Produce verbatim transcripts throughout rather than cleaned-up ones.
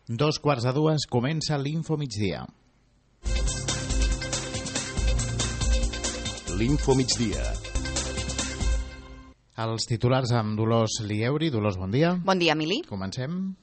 Dos quarts de dues comença l'Info Migdia. L'Info Migdia. Els titulars amb Dolors Lieuri. Dolors, bon dia. Bon dia, Emili. Comencem.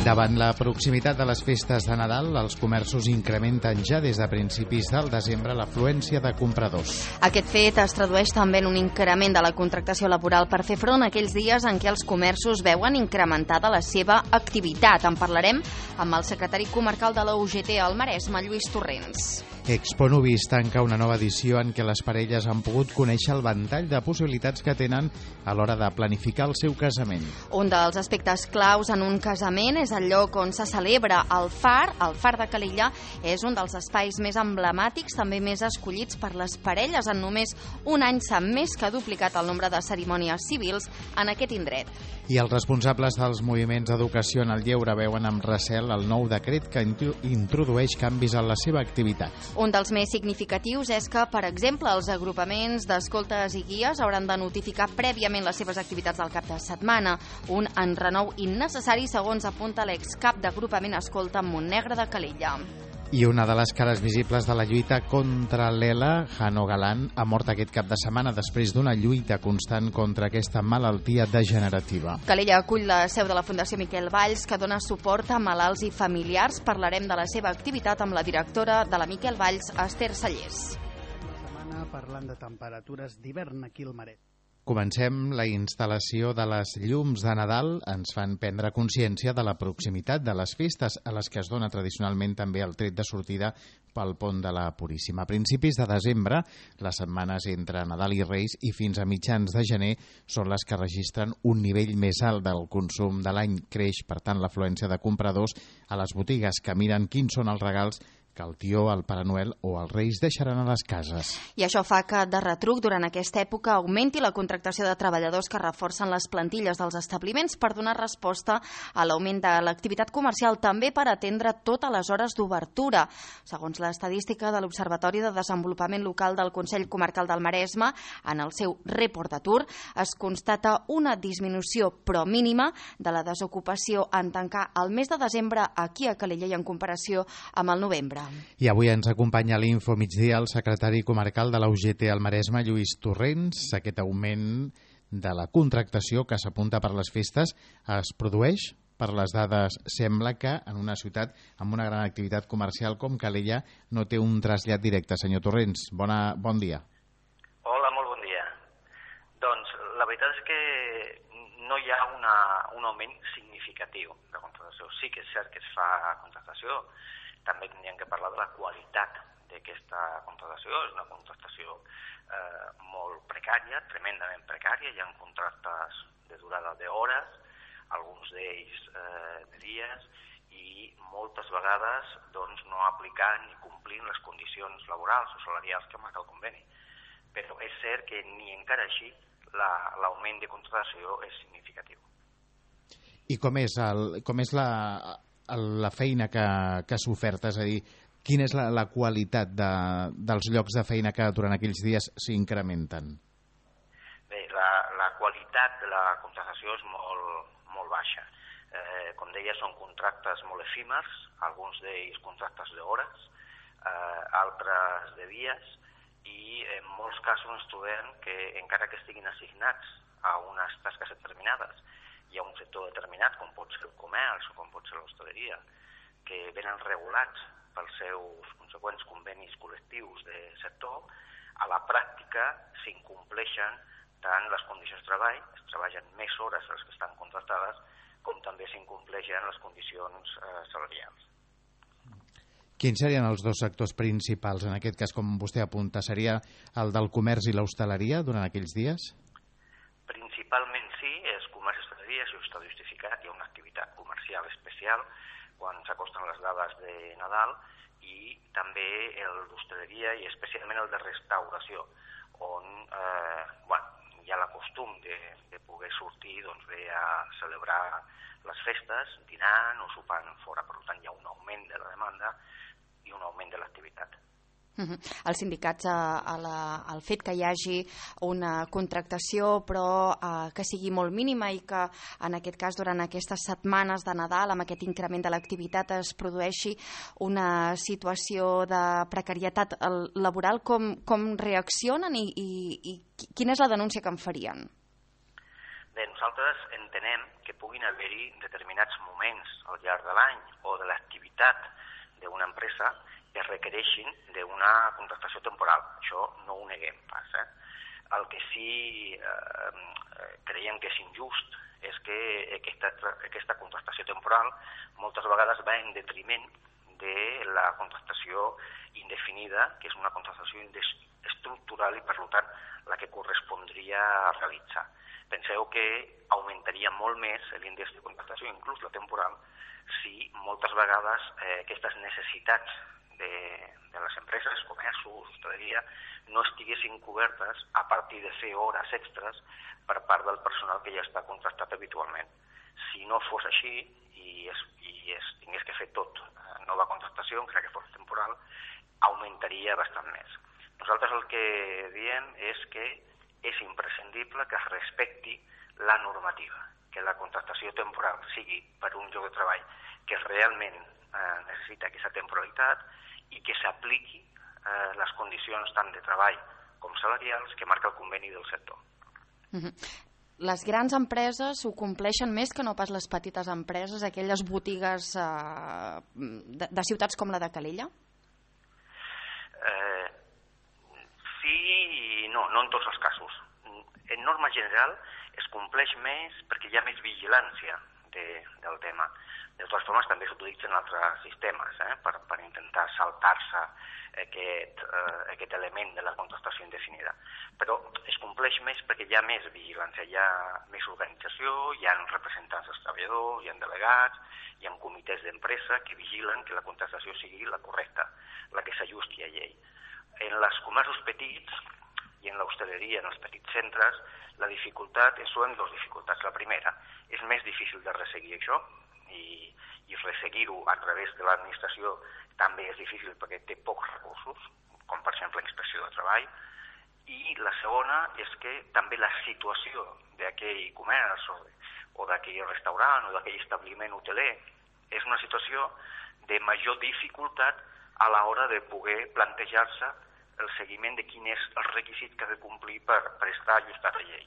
Davant la proximitat de les festes de Nadal, els comerços incrementen ja des de principis del desembre l'afluència de compradors. Aquest fet es tradueix també en un increment de la contractació laboral per fer front a aquells dies en què els comerços veuen incrementada la seva activitat. En parlarem amb el secretari comarcal de la U G T al Maresme, Lluís Torrents. Expo Nuvis tanca una nova edició en què les parelles han pogut conèixer el ventall de possibilitats que tenen a l'hora de planificar el seu casament. Un dels aspectes claus en un casament és el lloc on se celebra el far. El far de Calella és un dels espais més emblemàtics, també més escollits per les parelles. En només un any s'ha més que duplicat el nombre de cerimònies civils en aquest indret. I els responsables dels moviments d'educació en el lleure veuen amb recel el nou decret que introdueix canvis en la seva activitat. Un dels més significatius és que, per exemple, els agrupaments d'escoltes i guies hauran de notificar prèviament les seves activitats del cap de setmana, un enrenou innecessari, segons apunta l'excap d'agrupament Escolta Montnegre de Calella. I una de les cares visibles de la lluita contra l'ELA, Jano Galán, ha mort aquest cap de setmana després d'una lluita constant contra aquesta malaltia degenerativa. Calella acull la seu de la Fundació Miquel Valls, que dona suport a malalts i familiars. Parlarem de la seva activitat amb la directora de la Miquel Valls, Esther Sallés. La setmana parlant de temperatures d'hivern aquí al Maresme. Comencem. La instal·lació de les llums de Nadal ens fan prendre consciència de la proximitat de les festes, a les que es dona tradicionalment també el tret de sortida pel pont de la Puríssima. A principis de desembre, les setmanes entre Nadal i Reis i fins a mitjans de gener són les que registren un nivell més alt del consum de l'any. Creix, per tant, l'afluència de compradors a les botigues que miren quins són els regals que el tió, el Pare Noel o els Reis deixaran a les cases. I això fa que, de retruc, durant aquesta època augmenti la contractació de treballadors que reforcen les plantilles dels establiments per donar resposta a l'augment de l'activitat comercial, també per atendre totes les hores d'obertura. Segons l'estadística de l'Observatori de Desenvolupament Local del Consell Comarcal del Maresme, en el seu report d'atur es constata una disminució, però mínima, de la desocupació en tancar el mes de desembre aquí a Calella i en comparació amb el novembre. I avui ens acompanya a l'Info Migdia el secretari comarcal de la U G T al Maresme, Lluís Torrents. Aquest augment de la contractació que s'apunta per les festes es produeix? Per les dades, sembla que en una ciutat amb una gran activitat comercial com Calella no té un trasllat directe. Senyor Torrents, bona, bon dia. Hola, molt bon dia. Doncs la veritat és que no hi ha una, un augment significatiu de contractació. Sí que és cert que es fa contractació. També tindríem que parlar de la qualitat d'aquesta contractació. És una contractació eh, molt precària, tremendament precària. Hi ha contractes de durada d'hores, alguns d'ells eh, de dies, i moltes vegades doncs, no aplicant ni complint les condicions laborals o salarials que marca el conveni. Però és cert que ni encara així l'augment la, de contractació és significatiu. I com és, el, com és la... la feina que, que s'oferta, és a dir, quina és la, la qualitat de, dels llocs de feina que durant aquells dies s'incrementen? Bé, la, la qualitat de la contractació és molt, molt baixa. Eh, com deia, són contractes molt efímers, alguns d'ells contractes d'hores, eh, altres de dies, i en molts casos ens trobem que encara que estiguin assignats a unes tasques determinades, hi ha un sector determinat, com pot ser el comerç o com pot ser l'hostaleria, que venen regulats pels seus conseqüents convenis col·lectius de sector. A la pràctica s'incompleixen tant les condicions de treball, es treballen més hores de les que estan contractades, com també s'incompleixen les condicions eh, salarials. Quins serien els dos sectors principals? En aquest cas, com vostè apunta, seria el del comerç i l'hostaleria durant aquells dies? Principalment sí, és comerç i hostaleria, això està justificat, hi ha una activitat comercial especial quan s'acosten les dades de Nadal, i també el d'hostaleria i especialment el de restauració, on eh, bueno, hi ha la costum de, de poder sortir doncs, bé a celebrar les festes, dinant o sopant fora. Per tant, hi ha un augment de la demanda i un augment de l'activitat. Uh-huh. Els sindicats, a, a la, al fet que hi hagi una contractació però uh, que sigui molt mínima i que en aquest cas durant aquestes setmanes de Nadal amb aquest increment de l'activitat es produeixi una situació de precarietat laboral, com, com reaccionen i, i, i quina és la denúncia que en farien? Bé, nosaltres entenem que puguin haver-hi determinats moments al llarg de l'any o de l'activitat d'una empresa que requereixin d'una contractació temporal. Això no ho neguem pas. Eh? El que sí eh, creiem que és injust és que aquesta, aquesta contractació temporal moltes vegades va en detriment de la contractació indefinida, que és una contractació estructural i, per tant, la que correspondria a realitzar. Penseu que augmentaria molt més l'índex de contractació, inclús la temporal, si moltes vegades eh, aquestes necessitats de, de les empreses, comerços, hostaleria, no estiguessin cobertes a partir de fer hores extres per part del personal que ja està contractat habitualment. Si no fos així i es, i es tingués que fer tot nova contractació, encara que fos temporal, augmentaria bastant més. Nosaltres el que diem és que és imprescindible que es respecti la normativa, que la contractació temporal sigui per un lloc de treball que realment eh, necessita aquesta temporalitat i que s'apliqui eh, les condicions tant de treball com salarials que marca el conveni del sector. Uh-huh. Les grans empreses ho compleixen més que no pas les petites empreses, aquelles botigues eh, de, de ciutats com la de Calella? Eh, sí i no, no en tots els casos. En norma general es compleix més perquè hi ha més vigilància de, del tema. De totes formes, també s'utilitzen altres sistemes eh, per, per intentar saltar-se aquest, eh, aquest element de la contractació indefinida. Però es compleix més perquè hi ha més vigilància, hi ha més organització, hi ha representants dels treballadors, hi ha delegats, hi ha comitès d'empresa que vigilen que la contractació sigui la correcta, la que s'ajusti a llei. En els comerços petits i en l'hostaleria, en els petits centres, la dificultat, són dues dificultats. La primera, és més difícil de resseguir això, i, i resseguir-ho a través de l'administració també és difícil perquè té pocs recursos, com per exemple inspecció de treball, i la segona és que també la situació d'aquell comerç o, o d'aquell restaurant o d'aquell establiment hoteler és una situació de major dificultat a l'hora de poder plantejar-se el seguiment de quin és el requisit que ha de complir per, per estar ajustat a llei.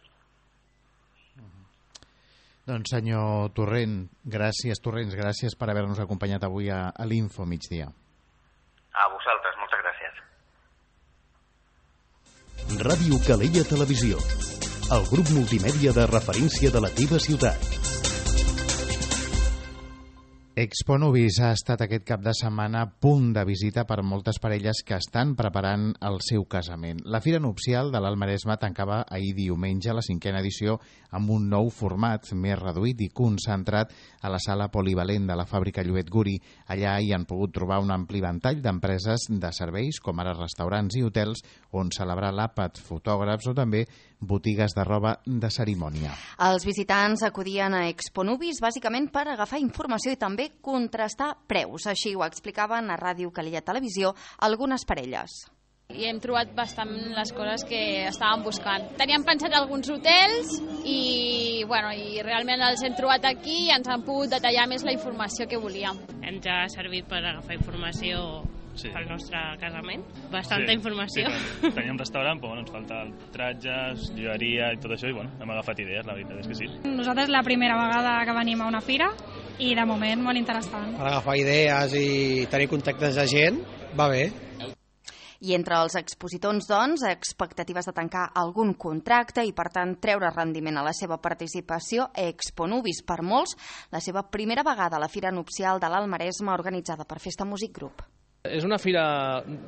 Doncs senyor Torrent, gràcies, Torrents, gràcies per haver-nos acompanyat avui a, a l'Info Migdia. A vosaltres, moltes gràcies. Ràdio Calella Televisió, el grup multimèdia de referència de la teva ciutat. Expo Nubis ha estat aquest cap de setmana punt de visita per moltes parelles que estan preparant el seu casament. La Fira Nupcial de l'Alt Maresme tancava ahir diumenge la cinquena edició amb un nou format més reduït i concentrat a la sala polivalent de la fàbrica Lluet Guri. Allà hi han pogut trobar un ampli ventall d'empreses de serveis, com ara restaurants i hotels, on celebrar l'àpat, fotògrafs o també botigues de roba de cerimònia. Els visitants acudien a Expo Nubis bàsicament per agafar informació i també contrastar preus. Així ho explicaven a Ràdio Calella Televisió algunes parelles. I hem trobat bastant les coses que estàvem buscant. Teníem pensat alguns hotels i, bueno, i realment els hem trobat aquí i ens han pogut detallar més la informació que volíem. Ens ha servit per agafar informació sí. pel nostre casament. Bastanta sí, informació. Sí, teníem restaurant, però bueno, ens falta tratges, joieria i tot això, i bueno, hem agafat idees, la veritat és que sí. Nosaltres la primera vegada que venim a una fira i de moment molt interessant. Per agafar idees i tenir contactes de gent, va bé. I entre els expositors, doncs, expectatives de tancar algun contracte i, per tant, treure rendiment a la seva participació, Expo Nubis, per molts, la seva primera vegada a la Fira Nupcial de l'Alt Maresme organitzada per Festa Music Group. És una fira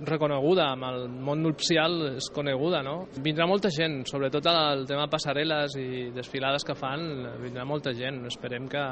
reconeguda, amb el món nupcial és coneguda, no? Vindrà molta gent, sobretot el tema passarel·les i desfilades que fan, vindrà molta gent. Esperem que,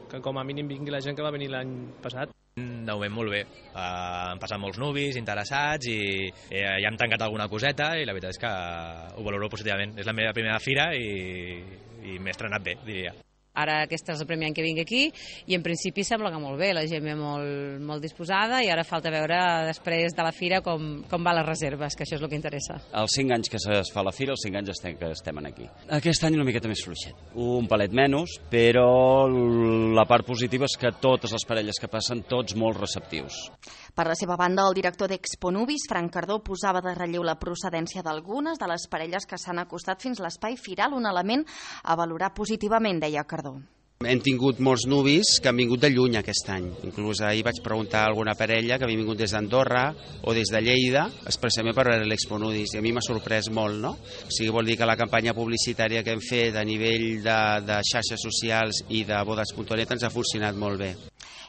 que com a mínim vingui la gent que va venir l'any passat. De moment molt bé, uh, han passat molts nubis interessats i eh, ja hem tancat alguna coseta i la veritat és que ho valoro positivament. És la meva primera fira i, i m'he estrenat bé, diria. Ara aquest és el primer any que vinc aquí i en principi sembla que molt bé, la gent ve molt, molt disposada i ara falta veure després de la fira com, com va les reserves, que això és el que interessa. Els cinc anys que es fa la fira, els cinc anys estem, que estem aquí. Aquest any una miqueta més fluixet, un palet menys, però la part positiva és que totes les parelles que passen, tots molt receptius. Per la seva banda, el director d'Exponubis, Frank Cardó, posava de relleu la procedència d'algunes de les parelles que s'han acostat fins a l'espai firal, un element a valorar positivament, deia Cardó. Hem tingut molts nuvis que han vingut de lluny aquest any. Inclús ahir vaig preguntar a alguna parella que havia vingut des d'Andorra o des de Lleida, expressament per veure l'Exponubis, i a mi m'ha sorprès molt, no? O sigui, vol dir que la campanya publicitària que hem fet a nivell de, de xarxes socials i de bodes punt net ens ha funcionat molt bé.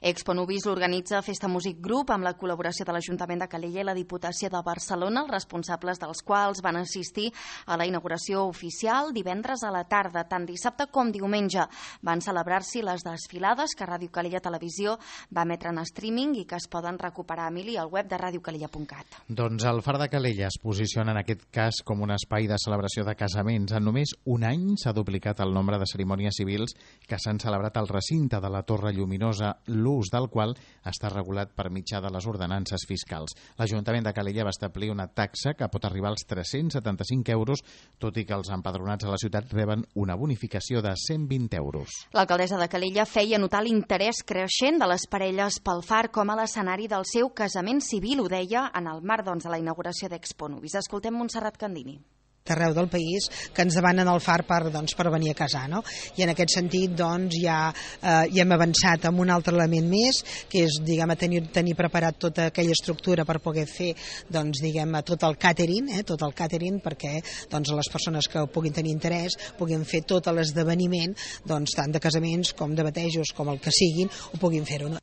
Exponubis organitza Festa Music Group amb la col·laboració de l'Ajuntament de Calella i la Diputació de Barcelona, els responsables dels quals van assistir a la inauguració oficial divendres a la tarda. Tant dissabte com diumenge van celebrar-s'hi les desfilades que Ràdio Calella Televisió va emetre en streaming i que es poden recuperar, Emili, al web de radio calella punt cat. Doncs el Far de Calella es posiciona en aquest cas com un espai de celebració de casaments. En només un any s'ha duplicat el nombre de cerimònies civils que s'han celebrat al recinte de la Torre Lluminosa, l'ús del qual està regulat per mitjà de les ordenances fiscals. L'Ajuntament de Calella va establir una taxa que pot arribar als tres-cents setanta-cinc euros, tot i que els empadronats a la ciutat reben una bonificació de cent vint euros. L'alcaldessa de Calella feia notar l'interès creixent de les parelles pel Far com a l'escenari del seu casament civil, ho deia en el marc doncs, de la inauguració d'Exponubis. Escoltem Montserrat Candini. D'arreu del país que ens demanen el Far per, doncs, per venir a casar, no? I en aquest sentit doncs, ja, eh, ja hem avançat amb un altre element més, que és diguem, tenir, tenir preparat tota aquella estructura per poder fer doncs, diguem, tot el catering, eh, tot el catering perquè doncs, les persones que puguin tenir interès puguin fer tot l'esdeveniment, doncs, tant de casaments com de batejos com el que siguin, ho puguin fer-ho. No?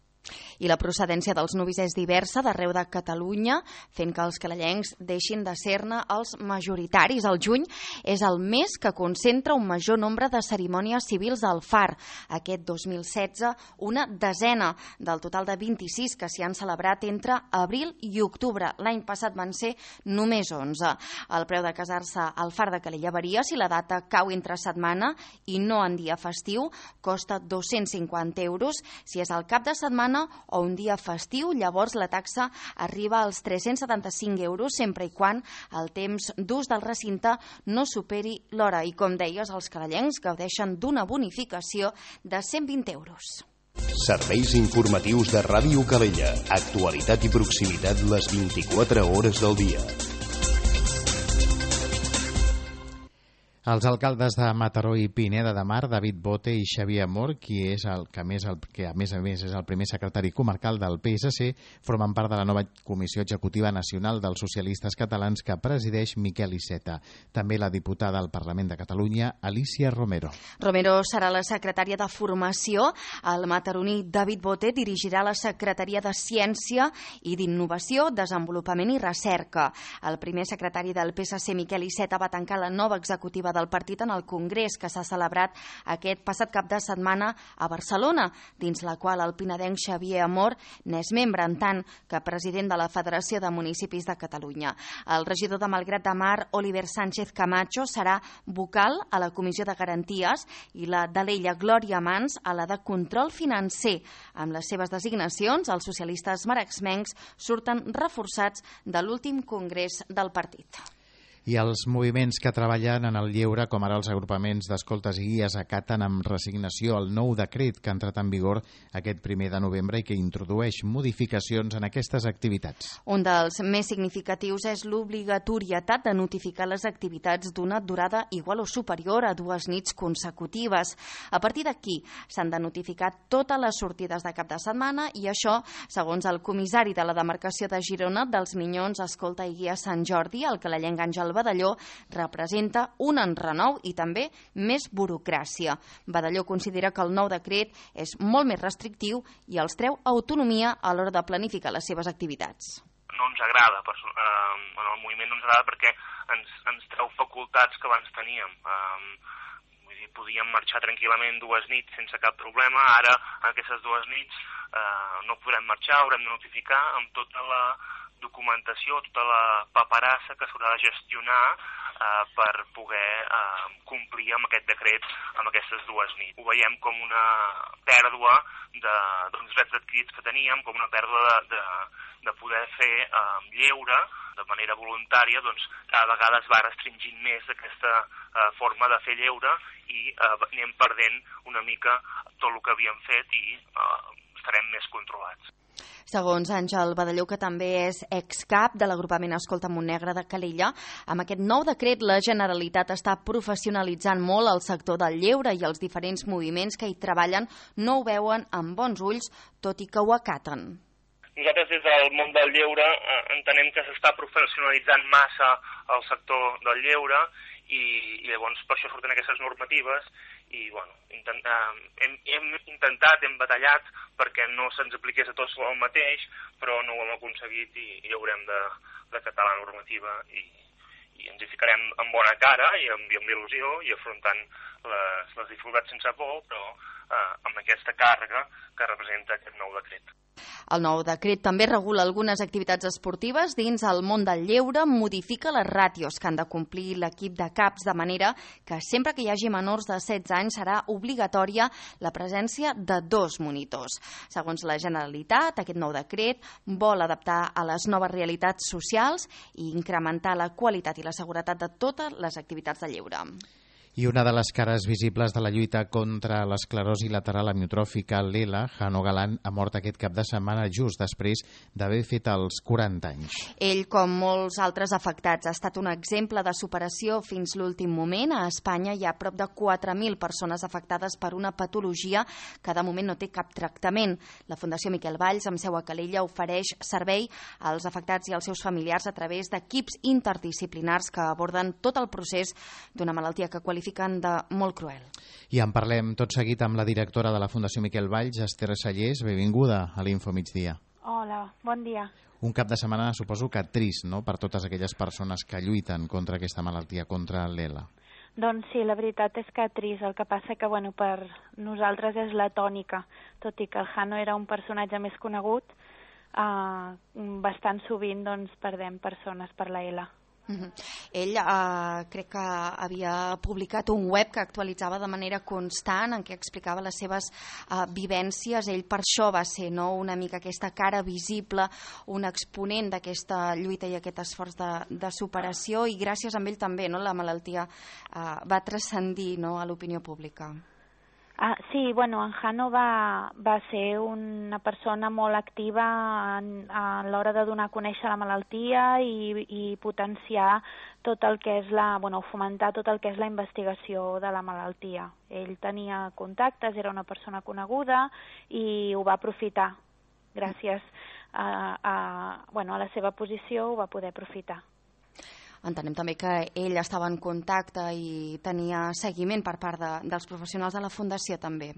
I la procedència dels nuvis és diversa d'arreu de Catalunya, fent que els calellencs deixin de ser-ne els majoritaris. El juny és el mes que concentra un major nombre de cerimònies civils al Far. Aquest dos mil setze, una desena del total de vint-i-sis que s'hi han celebrat entre abril i octubre. L'any passat van ser només onze. El preu de casar-se al Far de Calella varia si la data cau entre setmana i no en dia festiu, costa dos-cents cinquanta euros. Si és al cap de setmana o un dia festiu, llavors la taxa arriba als tres-cents setanta-cinc euros, sempre i quan el temps d'ús del recinte no superi l'hora. I com deies, els calellencs gaudeixen d'una bonificació de cent vint euros. Serveis informatius de Ràdio Calella. Actualitat i proximitat les vint-i-quatre hores del dia. Els alcaldes de Mataró i Pineda de Mar, David Bote i Xavier Amor, qui és el que, més el, que a més a més és el primer secretari comarcal del P S C, formen part de la nova Comissió Executiva Nacional dels Socialistes Catalans que presideix Miquel Iceta. També la diputada al Parlament de Catalunya, Alicia Romero. Romero serà la secretària de Formació. El mataroní David Bote dirigirà la Secretaria de Ciència i d'Innovació, Desenvolupament i Recerca. El primer secretari del P S C, Miquel Iceta, va tancar la nova executiva del partit en el Congrés que s'ha celebrat aquest passat cap de setmana a Barcelona, dins la qual el pinedenc Xavier Amor n'és membre, en tant que president de la Federació de Municipis de Catalunya. El regidor de Malgrat de Mar, Oliver Sánchez Camacho, serà vocal a la Comissió de Garanties i la d'Alella Glòria Mans a la de Control Financer. Amb les seves designacions, els socialistes marexmencs surten reforçats de l'últim congrés del partit. I els moviments que treballen en el lleure, com ara els agrupaments d'escoltes i guies, acaten amb resignació el nou decret que ha entrat en vigor aquest primer de novembre i que introdueix modificacions en aquestes activitats. Un dels més significatius és l'obligatorietat de notificar les activitats d'una durada igual o superior a dues nits consecutives. A partir d'aquí s'han de notificar totes les sortides de cap de setmana i això, segons el comissari de la demarcació de Girona dels Minyons, Escolta i Guia Sant Jordi, el calellenc Àngel Badalló, representa un enrenou i també més burocràcia. Badalló considera que el nou decret és molt més restrictiu i els treu autonomia a l'hora de planificar les seves activitats. No ens agrada, eh, en el moviment no ens agrada perquè ens, ens treu facultats que abans teníem. Eh, vull dir, podíem marxar tranquil·lament dues nits sense cap problema, ara aquestes dues nits eh, no podrem marxar, haurem de notificar amb tota la documentació, tota la paperassa que s'haurà de gestionar eh, per poder eh, complir amb aquest decret amb aquestes dues nits. Ho veiem com una pèrdua de, dels drets adquirits que teníem, com una pèrdua de, de, de poder fer eh, lleure de manera voluntària, doncs cada vegada es va restringint més aquesta eh, forma de fer lleure i eh, anem perdent una mica tot el que havíem fet i eh, estarem més controlats. Segons Àngel Badalló, que també és excap de l'agrupament Escolta Montnegre de Calella, amb aquest nou decret la Generalitat està professionalitzant molt el sector del lleure i els diferents moviments que hi treballen no ho veuen amb bons ulls, tot i que ho acaten. Nosaltres des del món del lleure eh, entenem que s'està professionalitzant massa el sector del lleure i, i llavors per això surten aquestes normatives i bueno, intent, eh, hem, hem intentat, hem batallat perquè no se'ns apliqués a tots el mateix, però no ho hem aconseguit i, i haurem de, de catar la normativa i, i ens hi ficarem amb bona cara i amb, i amb il·lusió i afrontant les, les dificultats sense por, però eh, amb aquesta càrrega que representa aquest nou decret. El nou decret també regula algunes activitats esportives dins el món del lleure, modifica les ràtios que han de complir l'equip de caps, de manera que sempre que hi hagi menors de setze anys serà obligatòria la presència de dos monitors. Segons la Generalitat, aquest nou decret vol adaptar a les noves realitats socials i incrementar la qualitat i la seguretat de totes les activitats de lleure. I una de les cares visibles de la lluita contra l'esclerosi lateral amiotròfica, l'E L A, Jano Galán, ha mort aquest cap de setmana just després d'haver fet els quaranta anys. Ell, com molts altres afectats, ha estat un exemple de superació fins l'últim moment. A Espanya hi ha prop de quatre mil persones afectades per una patologia que de moment no té cap tractament. La Fundació Miquel Valls, amb seu a Calella, ofereix servei als afectats i als seus familiars a través d'equips interdisciplinars que aborden tot el procés d'una malaltia que qualifica de molt cruel. I en parlem tot seguit amb la directora de la Fundació Miquel Valls, Esther Sallés. Benvinguda a l'Info Migdia. Hola, bon dia. Un cap de setmana suposo que trist, no?, per totes aquelles persones que lluiten contra aquesta malaltia, contra l'E L A. Doncs sí, la veritat és que trist. El que passa que bueno, per nosaltres és la tònica, tot i que el Jano era un personatge més conegut, eh, bastant sovint doncs, perdem persones per la E L A. Uh-huh. Ell eh, crec que havia publicat un web que actualitzava de manera constant en què explicava les seves eh, vivències. Ell per això va ser, no?, una mica aquesta cara visible, un exponent d'aquesta lluita i aquest esforç de, de superació, i gràcies a ell també, no?, la malaltia eh, va transcendir, no?, a l'opinió pública. Ah, sí, bueno, en Jano va, va ser una persona molt activa en, a l'hora de donar a conèixer la malaltia i, i potenciar tot el que és la, bueno, fomentar tot el que és la investigació de la malaltia. Ell tenia contactes, era una persona coneguda i ho va aprofitar. Gràcies a, a, bueno, a la seva posició ho va poder aprofitar. Entenem també que ell estava en contacte i tenia seguiment per part de, dels professionals de la Fundació també.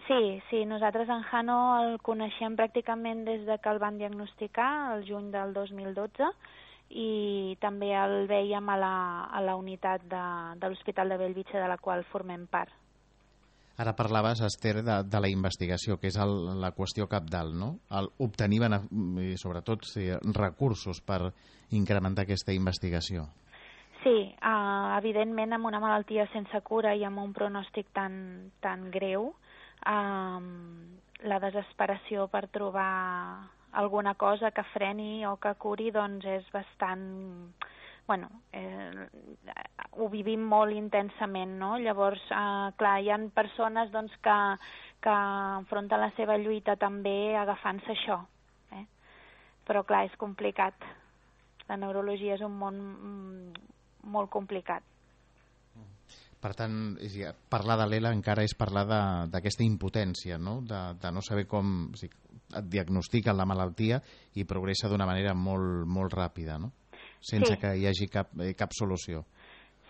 Sí, sí, nosaltres en Jano el coneixem pràcticament des de que el van diagnosticar, el juny del dos mil dotze, i també el veiem a la, a la unitat de, de l'Hospital de Bellvitge, de la qual formem part. Ara parlaves, Esther, de, de la investigació, que és el, la qüestió cabdal, no? El obtenir, sobretot, sí, recursos per incrementar aquesta investigació. Sí, uh, evidentment amb una malaltia sense cura i amb un pronòstic tan, tan greu, uh, la desesperació per trobar alguna cosa que freni o que curi doncs és bastant... Bueno, eh, ho vivim molt intensament, no? Llavors, eh, clar, hi ha persones doncs, que, que enfronten la seva lluita també agafant-se això, eh? Però clar, és complicat. La neurologia és un món mm, molt complicat. Per tant, parlar de l'E L A encara és parlar d'aquesta impotència, no? De, de no saber com o sigui, et diagnostiquen la malaltia i progressa d'una manera molt, molt ràpida, no? Sense sí. que hi hagi cap, eh, cap solució.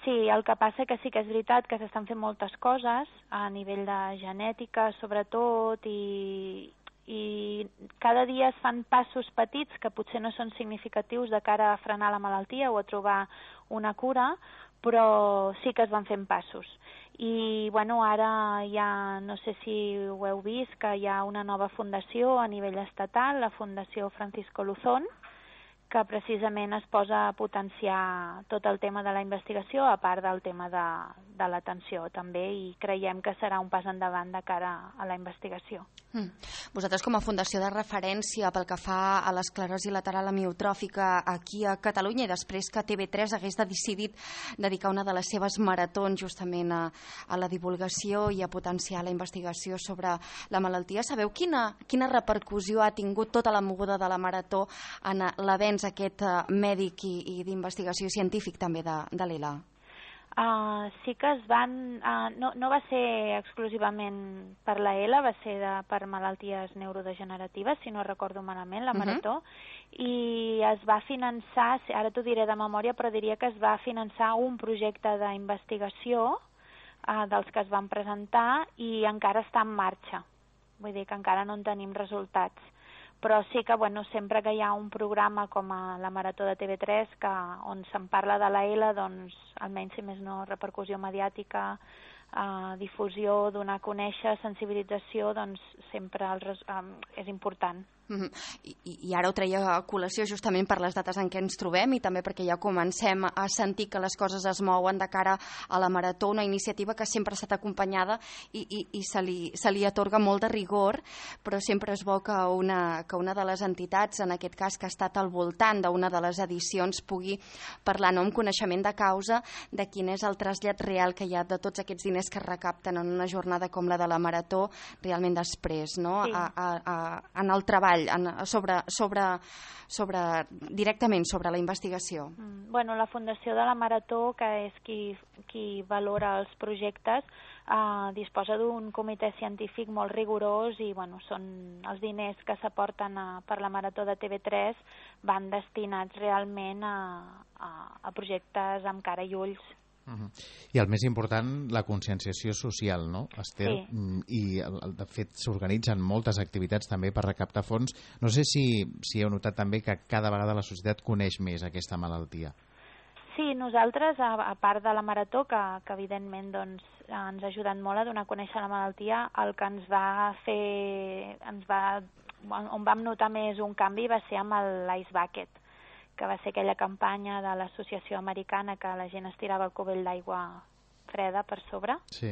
Sí, el que passa que sí que és veritat que s'estan fent moltes coses a nivell de genètica, sobretot, i, i cada dia es fan passos petits que potser no són significatius de cara a frenar la malaltia o a trobar una cura, però sí que es van fent passos. I bueno, ara ja, no sé si ho heu vist, que hi ha una nova fundació a nivell estatal, la Fundació Francisco Luzón, que precisament es posa a potenciar tot el tema de la investigació, a part del tema de, de l'atenció també, i creiem que serà un pas endavant de cara a la investigació. Mm. Vosaltres com a fundació de referència pel que fa a l'esclerosi lateral amiotròfica aquí a Catalunya, i després que T V tres hagués decidit dedicar una de les seves maratons justament a, a la divulgació i a potenciar la investigació sobre la malaltia, sabeu quina, quina repercussió ha tingut tota la moguda de la marató en l'avenç aquest uh, mèdic i, i d'investigació científic també de, de l'E L A? Uh, sí que es van... Uh, no, no va ser exclusivament per la E L A, va ser de, per malalties neurodegeneratives, si no recordo malament, la marató, uh-huh. i es va finançar, ara t'ho diré de memòria, però diria que es va finançar un projecte d'investigació uh, dels que es van presentar i encara està en marxa. Vull dir que encara no en tenim resultats. Però sí que bueno, sempre que hi ha un programa com a la Marató de T V tres que, on se'n parla de la E L A, doncs almenys si més no repercussió mediàtica, eh, difusió, donar a conèixer, sensibilització, doncs sempre el, eh, és important. Mm-hmm. I, I ara ho treia a col·lació justament per les dates en què ens trobem i també perquè ja comencem a sentir que les coses es mouen de cara a la Marató, una iniciativa que sempre ha estat acompanyada i, i, i se, li, se li atorga molt de rigor, però sempre és bo que una, que una de les entitats, en aquest cas que ha estat al voltant d'una de les edicions, pugui parlar no, amb coneixement de causa de quin és el trasllat real que hi ha de tots aquests diners que es recapten en una jornada com la de la Marató realment després, no? Sí. a, a, a, en el treball En, sobre, sobre, sobre, directament sobre la investigació. Mm, bueno, la Fundació de la Marató, que és qui, qui valora els projectes, eh, disposa d'un comitè científic molt rigorós i bueno, són els diners que s'aporten per la Marató de T V tres van destinats realment a, a, a projectes amb cara i ulls. Uh-huh. I el més important, la conscienciació social, no, Esther? Sí. I de fet s'organitzen moltes activitats també per recaptar fons. No sé si, si heu notat també que cada vegada la societat coneix més aquesta malaltia. Sí, nosaltres, a, a part de la Marató, que, que evidentment doncs, ens ha ajudat molt a donar a conèixer la malaltia, el que ens va fer, ens va, on vam notar més un canvi va ser amb l'Ice Bucket, que va ser aquella campanya de l'associació americana que la gent es tirava el cubell d'aigua freda per sobre. Sí.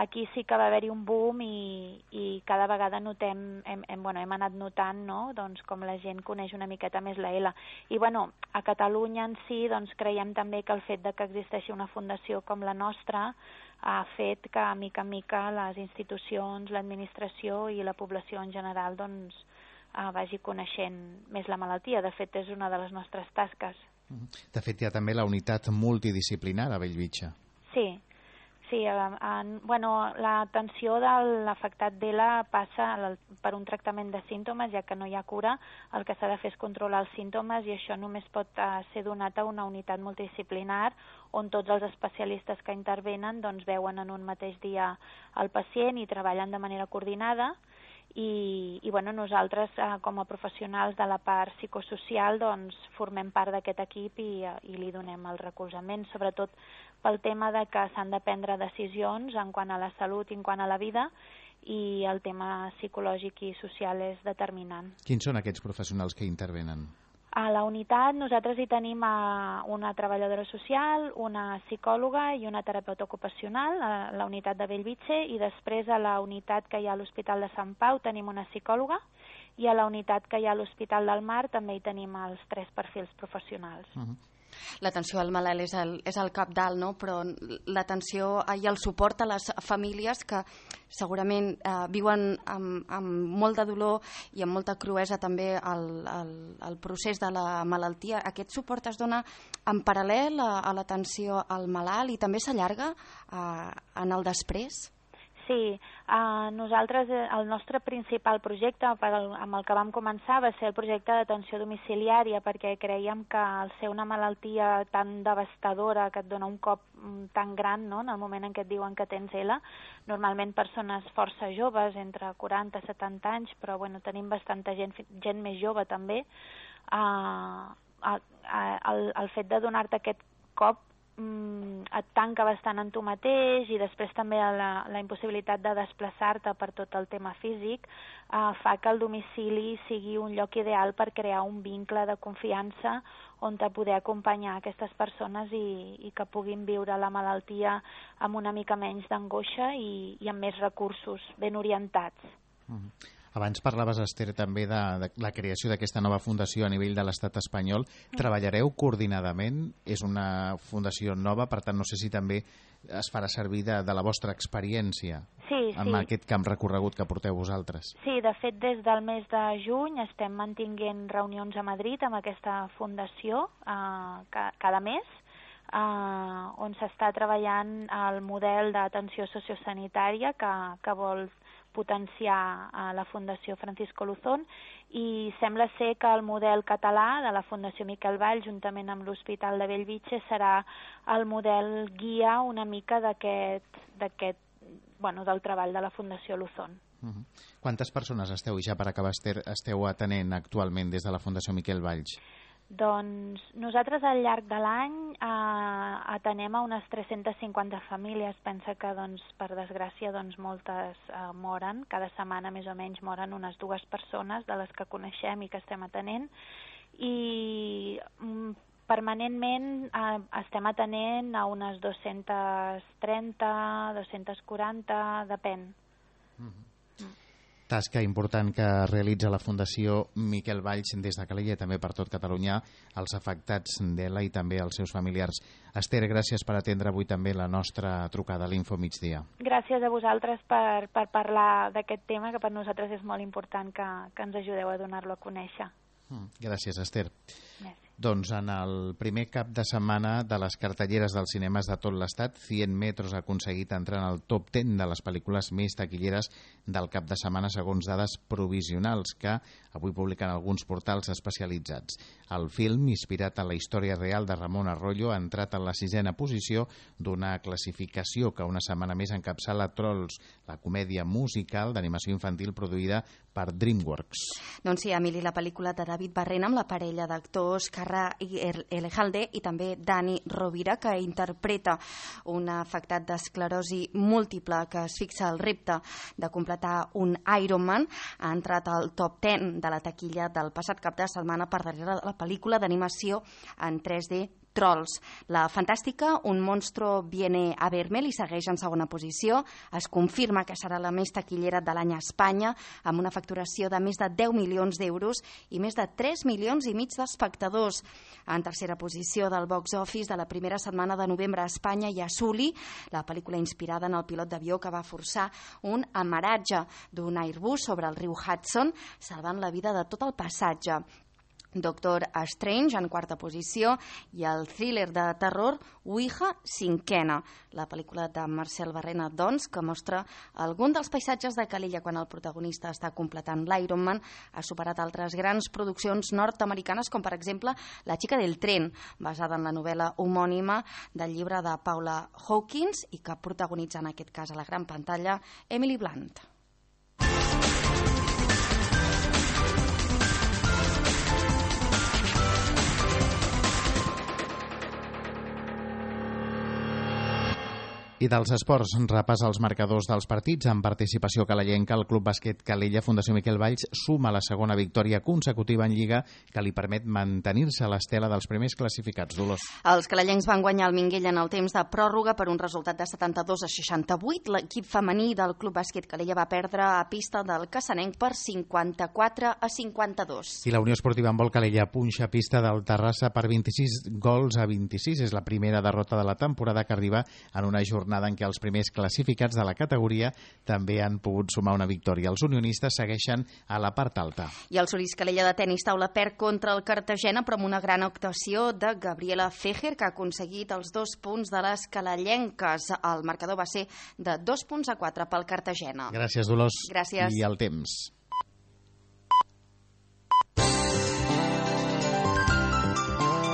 Aquí sí que va haver-hi un boom i, i cada vegada notem, hem, hem, bueno, hem anat notant no? doncs, com la gent coneix una miqueta més la E L A. I bueno, a Catalunya en si doncs, creiem també que el fet de que existeixi una fundació com la nostra ha fet que mica en mica les institucions, l'administració i la població en general doncs, Uh, vagi coneixent més la malaltia. De fet, és una de les nostres tasques. De fet, hi ha també la unitat multidisciplinar a Bellvitge. Sí, sí. Uh, en, bueno, l'atenció de l'afectat d'E L A passa per un tractament de símptomes, ja que no hi ha cura. El que s'ha de fer és controlar els símptomes i això només pot uh, ser donat a una unitat multidisciplinar on tots els especialistes que intervenen doncs, veuen en un mateix dia el pacient i treballen de manera coordinada. I, i bueno, nosaltres eh, com a professionals de la part psicosocial doncs, formem part d'aquest equip i, i li donem el recolzament, sobretot pel tema de que s'han de prendre decisions en quant a la salut i en quant a la vida i el tema psicològic i social és determinant. Quins són aquests professionals que intervenen? A la unitat nosaltres hi tenim una treballadora social, una psicòloga i una terapeuta ocupacional, a la unitat de Bellvitge, i després a la unitat que hi ha a l'Hospital de Sant Pau tenim una psicòloga i a la unitat que hi ha a l'Hospital del Mar també hi tenim els tres perfils professionals. Uh-huh. L'atenció al malalt és el, és el cabdal, no? Però l'atenció i el suport a les famílies que segurament eh, viuen amb, amb molt de dolor i amb molta cruesa també el, el, el procés de la malaltia. Aquest suport es dona en paral·lel a, a l'atenció al malalt i també s'allarga eh, en el després? Sí, uh, nosaltres, el nostre principal projecte per el, amb el que vam començar va ser el projecte d'atenció domiciliària perquè creiem que al ser una malaltia tan devastadora que et dona un cop tan gran, no?, en el moment en què et diuen que tens E L A, normalment persones força joves, entre quaranta i setanta anys, però bueno, tenim bastanta gent, gent més jove també, uh, uh, uh, el, el fet de donar-te aquest cop mm, et tanca bastant en tu mateix, i després també la, la impossibilitat de desplaçar-te per tot el tema físic eh, fa que el domicili sigui un lloc ideal per crear un vincle de confiança on te poder acompanyar aquestes persones i, i que puguin viure la malaltia amb una mica menys d'angoixa i, i amb més recursos ben orientats. Mm-hmm. Abans parlaves, Esther, també de, de la creació d'aquesta nova fundació a nivell de l'estat espanyol. Treballareu coordinadament? És una fundació nova, per tant, no sé si també es farà servir de, de la vostra experiència sí, en sí. aquest camp recorregut que porteu vosaltres. Sí, de fet, des del mes de juny estem mantinguent reunions a Madrid amb aquesta fundació eh, cada mes, eh, on s'està treballant el model d'atenció sociosanitària que, que vol potenciar a la Fundació Francisco Luzón, i sembla ser que el model català de la Fundació Miquel Valls, juntament amb l'Hospital de Bellvitge, serà el model guia una mica d'aquest, d'aquest, bueno, del treball de la Fundació Luzón. Uh-huh. Quantes persones esteu, i ja per acabar, Esther, esteu atenent actualment des de la Fundació Miquel Valls? Doncs nosaltres al llarg de l'any eh, atenem a unes tres-centes cinquanta famílies. Pensa que, doncs, per desgràcia, doncs, moltes eh, moren. Cada setmana més o menys moren unes dues persones de les que coneixem i que estem atenent. I mm, permanentment eh, estem atenent a unes dos-centes trenta, dos-centes quaranta, depèn. Mm-hmm. Tasca important que realitza la Fundació Miquel Valls des de Calella i també per tot Catalunya, els afectats d'Ela i també els seus familiars. Esther, gràcies per atendre avui també la nostra trucada a l'Info Migdia. Gràcies a vosaltres per, per parlar d'aquest tema, que per nosaltres és molt important que, que ens ajudeu a donar-lo a conèixer. Mm, gràcies, Esther. Gràcies. Doncs en el primer cap de setmana de les cartelleres dels cinemes de tot l'estat, cent metros ha aconseguit entrar en el top deu de les pel·lícules més taquilleres del cap de setmana segons dades provisionals que avui publiquen alguns portals especialitzats. El film, inspirat en la història real de Ramon Arroyo, ha entrat en la sisena posició d'una classificació que una setmana més encapçala Trolls, la comèdia musical d'animació infantil produïda per DreamWorks. Doncs sí, Emili, la pel·lícula de David Barrena amb la parella d'actors Carra Elejalde i també Dani Rovira, que interpreta un afectat d'esclerosi múltiple que es fixa el repte de completar un Ironman, ha entrat al top deu de la taquilla del passat cap de setmana per darrere de la pel·lícula d'animació en tres D Trolls. La fantàstica Un monstruo viene a verme li segueix en segona posició. Es confirma que serà la més taquillera de l'any a Espanya, amb una facturació de més de deu milions d'euros i més de tres milions i mig d'espectadors. En tercera posició del box office de la primera setmana de novembre a Espanya hi ha Sully, la pel·lícula inspirada en el pilot d'avió que va forçar un amaratge d'un Airbus sobre el riu Hudson, salvant la vida de tot el passatge. Doctor Strange en quarta posició i el thriller de terror Ouija cinquena, la pel·lícula de Marcel Barrena, doncs, que mostra algun dels paisatges de Calella quan el protagonista està completant l'Ironman. Ha superat altres grans produccions nord-americanes com per exemple La xica del tren, basada en la novel·la homònima del llibre de Paula Hawkins i que protagonitza en aquest cas a la gran pantalla Emily Blunt. I dels esports, repàs als marcadors dels partits. En participació calellenca, el Club Bàsquet Calella Fundació Miquel Valls suma la segona victòria consecutiva en Lliga que li permet mantenir-se a l'estela dels primers classificats. Dolors. Els calellencs van guanyar el Minguell en el temps de pròrroga per un resultat de setanta-dos a seixanta-vuit. L'equip femení del Club Bàsquet Calella va perdre a pista del Cassanenc per cinquanta-quatre a cinquanta-dos. I la Unió Esportiva Handbol Calella punxa pista del Terrassa per vint-i-sis gols a vint-i-sis. És la primera derrota de la temporada que arriba en una jornada en què els primers classificats de la categoria també han pogut sumar una victòria. Els unionistes segueixen a la part alta. I el Solís Calella de tenis taula perd contra el Cartagena, però amb una gran actuació de Gabriela Fejer, que ha aconseguit els dos punts de les calellenques. El marcador va ser de dos punts a quatre pel Cartagena. Gràcies, Dolors. Gràcies. I el temps.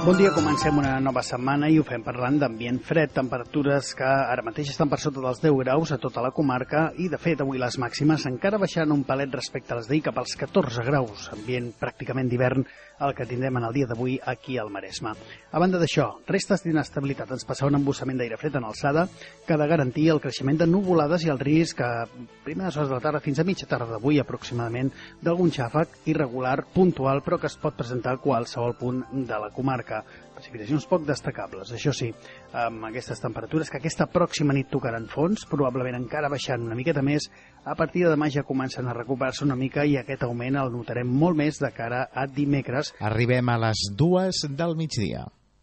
Bon dia, comencem una nova setmana i ho fem parlant d'ambient fred, temperatures que ara mateix estan per sota dels deu graus a tota la comarca i, de fet, avui les màximes encara baixant un palet respecte a les d'ahir cap als catorze graus, ambient pràcticament d'hivern el que tindrem en el dia d'avui aquí al Maresme. A banda d'això, restes d'inestabilitat ens passarà un embussament d'aire fred en alçada que ha de garantir el creixement de nuvolades i el risc a primeres hores de la tarda fins a mitja tarda d'avui aproximadament d'algun xàfec irregular, puntual, però que es pot presentar a qualsevol punt de la comarca. Precipitacions poc destacables, això sí, amb aquestes temperatures que aquesta pròxima nit tocaran fons, probablement encara baixant una miqueta més, a partir de demà ja comencen a recuperar-se una mica i aquest augment el notarem molt més de cara a dimecres. Arribem a les dues del migdia.